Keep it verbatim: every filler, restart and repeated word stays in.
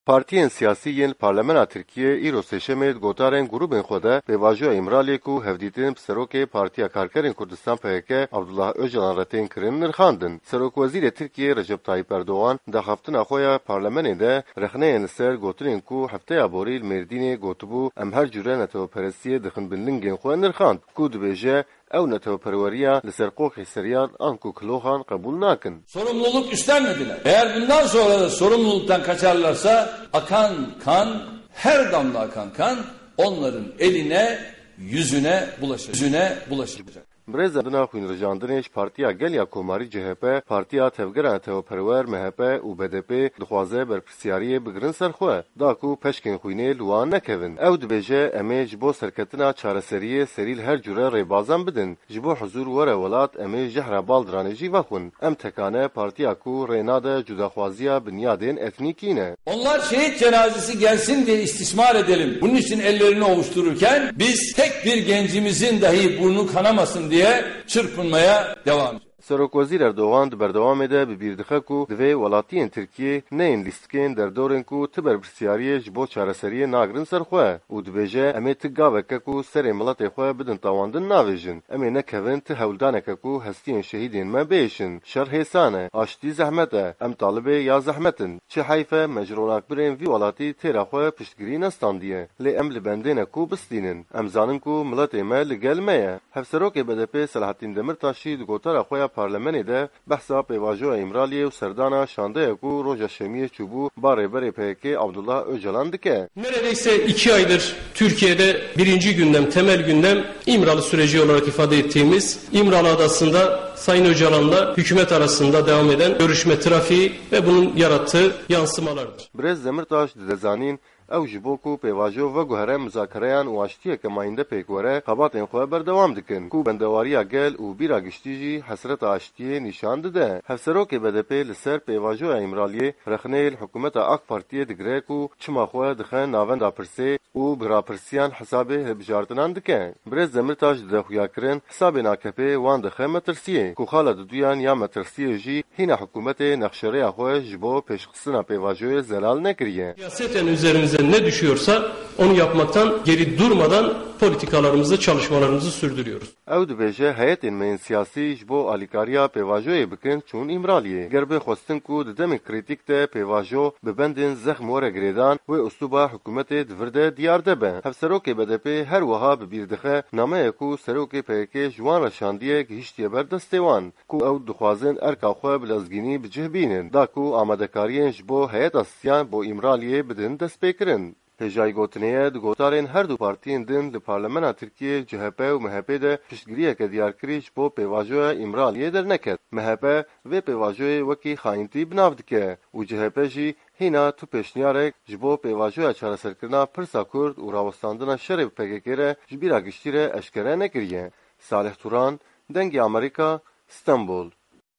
Partiyên siyasî yên li Parlemena Tirkiyê îro Sêşemê di gotarên grûbên xwe de pêvajoya Îmraliyê ku hevdîtin bi serokê Partiya Karkerên Kurdistan P K K Abdullah Ocalan re tên kirin nirxandin. Serokwezîrê Tirkiyê Recep Tayyip Erdogan di axaftina xwe ya Parlemenê de rexneyên li ser gotinên ku hefteya borî li Mêrdînê gotibû, em her cure neteweperestiyê dixin bin lingên xwe nirxand ku dibêje, ew neteweperweriya li ser qoxê seriyar anku kiloxan qebûl nakin. Sorumluluk üstlenmediler. Eğer bundan sonra da sorumluluktan kaçarlarsa akan kan, her damla akan kan onların eline, yüzüne bulaşacak. Yüzüne bulaşacak. Birêz Emdina Xwînrijandinê ji Partiya Gel ya Komarî C H P, Partiya Tevgera Neteweperwer M H P û B D P dixwaze berpirsiyariyê bigirin ser xwe. Da ku peşkên xwînê li wan nekevin. Ew dibêje, em ê ji bo serketina çareseriyê serî li her cure rêbazan bidin. Ji bo huzûr were welat, em ê jehra baldiranê jî vexwin. Em tekane partiya ku rê nade cudaxwaziya binyadên etnîkî ne. Onlar şehit cenazesi gelsin diye istismar edelim. Bunun için ellerini ovuştururken biz tek bir gencimizin dahi burnu kanamasın diye çırpınmaya devam edeceğiz. Serokwezîr Erdogan di berdewamê de bi bîr dixe ku divê welatiyên Tirkiyê neyên lîstikên derdorên ku ti berpirsiyariyê ji bo çareseriyê nagirin ser xwe û dibêje, em ê ti gaveke ku serê miletê xwe bidin tawandin navêjin. Em ê nekevin ti hewldaneke ku hestiyên şehîdên me bihêşin. Şer hêsan e, aştî zehmet e, em talibê ya zehmet in. Çi heyf e me ji ronakbirên vî welatî têra xwe piştgirî nestandiye. Lê em li bendê ne ku bistînin. Em zanin ku miletê me li gel me ye. Hevserokê B D P Selahattin Demirtaş jî di gotara xwe ya Parlemenê de behsa pêvajoya Îmraliyê û serdana şandeya ku roja Şemiyê çûbû ba rêberê P K K Abdullah Ocalan dike. Neredeyse iki aydır Türkiye'de birinci gündem, temel gündem İmralı süreci olarak ifade ettiğimiz İmralı Adası'nda Sayın Öcalan'la hükümet arasında devam eden görüşme trafiği ve bunun yarattığı yansımalardır. Birêz Demirtaş dide zanîn, ew ji bo ku pêvajo veguhere muzakereyan û aştiyeke mayînde pêk were, xebatên xwe berdewam dikin, ku bendewariya gel û bîra giştî jî hesreta aştiyê nîşan dide. Hevserokê B D P li ser pêvajoya Îmraliyê rexneyê li hikûmeta AK Partiyê digire ku çima xwe dixe navenda pirsê û bi rapirsiyan hesabê hilbijartinan dike. Birêz Demirtaş dide xuyakirin, hesabên A K P'ê wan dixe metirsiyê, ku xala diduyan ya metirsiyê jî hîna hikûmetê nexşerêya xwe ji bo pêşxistina pêvajoyê zelal nekiriye. Siyaseten üzerimize ne düşüyorsa onu yapmaktan geri durmadan politikalarımızı, çalışmalarımızı sürdürüyoruz. Ew dibêje, heyetên me yên siyasî ji bo alîkariya pêvajoyê bikin çûn Îmraliyê. Ger bê xwestin ku di demên krîtîk de pêvajo bi bendên zexm were girêdan, wê uslûba hikûmetê di vir de diyar de be. Hevserokê B D P her wiha bi bîr dixe, nameya ku serokê P K K ji wan re şandiye gihiştiye ber destê wan, ku ew dixwazin erka xwe bi lezgînî bi cih bînin, da ku amadekariyên ji bo heyeta siyan bo Îmraliyê bidin destpêkirin. Hêjayî gotinê ye, di gotarên her du partiyên din li Parlemena Tirkiyê C H P û M H P de piştgiriyeke diyarkirî ji bo pêvajoya Îmraliyê derneket. M H P vê pêvajoyê wekî xayîntî bi nav dike û C H P jî hîna tu pêşniyarek ji bo pêvajoya çareserkirina pirsa Kurd û rawestandina şerê bi P K K re ji bîra giştî re eşkere nekiriye. Salih Turan, Dengê Amerîka, Stenbol.